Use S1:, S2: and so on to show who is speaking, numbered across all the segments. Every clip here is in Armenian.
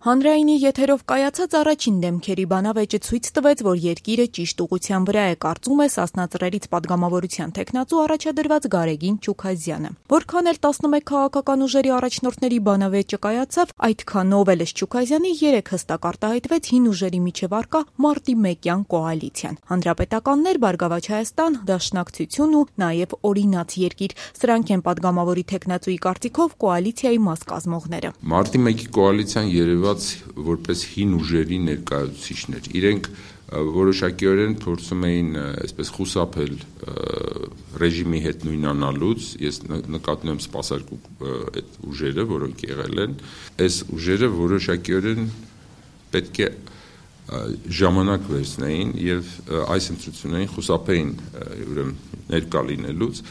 S1: Հանրայինի եթերով կայացած առաջին դեմքերի բանավեճը ցույց տվեց, որ երկիրը ճիշտ ուղղության վրա է, կարծում է Սասնա Ծռերից պատգամավորության թեկնածու առաջադրված Գարեգին Չուքազյանը։ Որքան էլ 11 քաղաքական ուժերի առաջնորդների բանավեճը կայացավ, այդքանով էլ Չուքազյանի 3 հստակ արտահայտվեց հին ուժերի միջև առկա մարտի 1-յան կոալիցիան։ Հանրապետականներ, Բարգավաճ Հայաստան, Դաշնակցություն ու նաև Օրինաց երկիր, սրանք են պատգամավորի թեկնածուի կարծիքով կոալիցիայի մաս կազմողները։
S2: Մարտի 1-ի կոալիցիան երևաց որպես հին ուժերի ներկայացուցիչներ։ Իրենք որոշակիորեն փորձում էին այսպես խուսափել ռեժիմի հետ նույնանալուց, ես նկատնում եմ սպասարկու այդ ուժերը, որոնք եղել են, այս ուժերը որոշակիորեն պետք է ժամանակ վերցնեին եւ այս ընտրություններին խուսափեին ուրեմն ներկա լինելուց,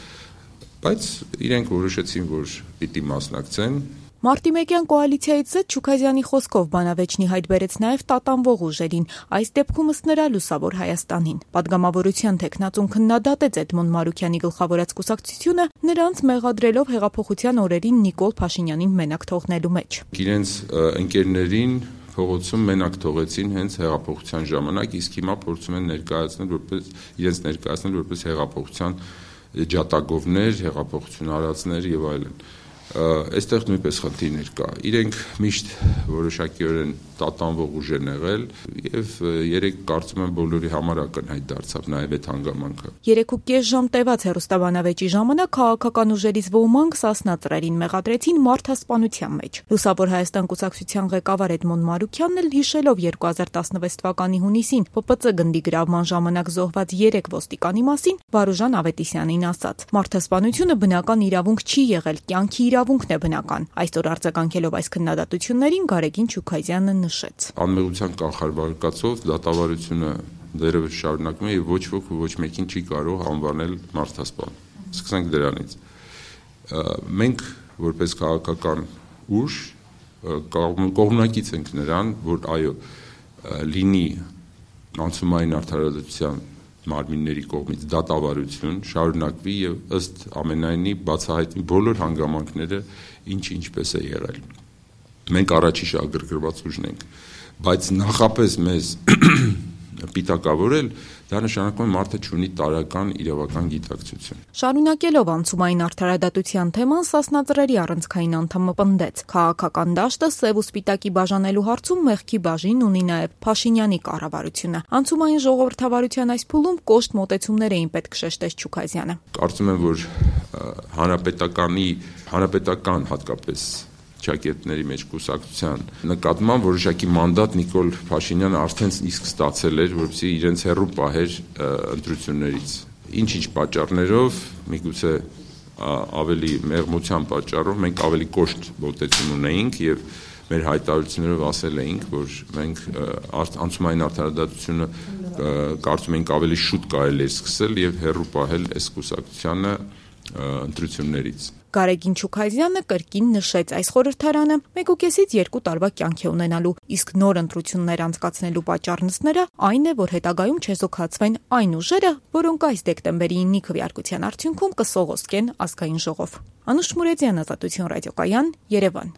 S2: բայց իրենք որոշեցին, որ պիտի մասնակցեն։
S1: Մարտի 1-յան կոալիցիայից զետ Չուքազյանի խոսքով բանավեճնի հայտ բերեց նաև տատանվող ուժերին, այս դեպքում ըստ նրա Լուսավոր Հայաստանին։ Պատգամավորության թեկնածուն քննադատեց Էդմոն Մարուքյանի գլխավորած կուսակցությունը, նրանց մեղադրելով հեղափոխության օրերին Նիկոլ Փաշինյանին մենակ թողնելու մեջ։
S2: Իրենց ընկերներին փողոցում մենակ թողեցին հենց հեղափոխության ժամանակ, իսկ հիմա փորձում են ներկայացնել որպես հեղափոխության ջատագովներ, հեղափոխություն արածներ եւ այլն։ Այստեղ նույնպես խնդիրներ կա։ Իրենք միշտ որոշակիորեն տատանվող ուժ են եղել եւ երեք կարծում եմ բոլորի համար ակնհայտ դարձավ նաեւ այդ հանգամանքը։
S1: 3.5 ժամ տևած հեռուստաբանավեճի ժամանակ քաղաքական ուժերից ոմանք Սասնա Ծռերին մեղադրեցին մարդասպանության մեջ։ Լուսավոր Հայաստան կուսակցության ղեկավար Էդմոն Մարուքյանն էլ հիշելով 2016 թվականի հունիսին ՊՊՑ գնդի գրավման ժամանակ զոհված 3 ոստիկանի մասին Վարուժան Ավետիսյանին ասաց. «Մարդասպանությունը բնական իրավունք չի եղել, կյանքի իրավունքն է բնական»։ Այսօր արձագանքելով այս քննադատություններին Գարեգին Չուքազյանը նշեց.
S2: Անմեղության կանխարգելքով դատավարությունը դեռևս շարունակվում է եւ ոչ ոք ու ոչ մեկին չի կարող անվանել մարդասպան։ Սկսենք դրանից։ Մենք որպես քաղաքական ուժ կողմնակից ենք նրան, որ այո, լինի անցումային արդարադատության մարմինների կողմից դատավարություն շարունակվի եւ ըստ ամենայնի բացահայտվի բոլոր հանգամանքները ինչպես է եղել։ Մենք առաջի շահագրգռված ուժն ենք, բայց նախապես մեզ պիտակավորել, դա նշանակում է մարդը չունի տարրական իրավական գիտակցություն։
S1: Շարունակելով անցումային արդարադատության թեման, Սասնա Ծռերի առանցքային անդամը պնդեց. քաղաքական դաշտը սև ու սպիտակի բաժանելու հարցում մեղքի բաժին ունի նաև Փաշինյանի կառավարությունը։ Անցումային ժողովրդավարության այս փուլում կոշտ մոտեցումներ էին պետք, շեշտեց Չուքազյանը։
S2: Կարծում եմ, որ հանրապետական հատկապես ճակերտների մեջ կուսակցության նկատմամբ որոշակի մանդատ Նիկոլ Փաշինյանը արդեն իսկ ստացել էր, որպեսզի իրենց հեռու պահեր ընտրություններից։ Ինչ պատճառներով, միգուցե ավելի մեղմության պատճառով մենք ավելի կոշտ մոտեցում ունեինք եւ մեր հայտարարություններով ասել էինք, որ մենք անցումային արդարադատությունը կարծում ենք ավելի շուտ կարելի է սկսել եւ հեռու պահել այս կուսակցությանը ընտրություններից։
S1: Գարեգին Չուքազյանը կրկին նշեց, այս խորհրդարանը 1.5-ից 2 տարվա կյանք է ունենալու, իսկ նոր ընտրություններ անցկացնելու պատճառն ըստ նրա այն է, որ հետագայում չեզոքացվեն այն ուժերը, որոնք այս դեկտեմբերի 9-ի քվեարկության արդյունքում կսողոսկեն ազգային ժողով։ Անուշ Մուրեդյան, Ազատություն ռադիոկայան, Երևան։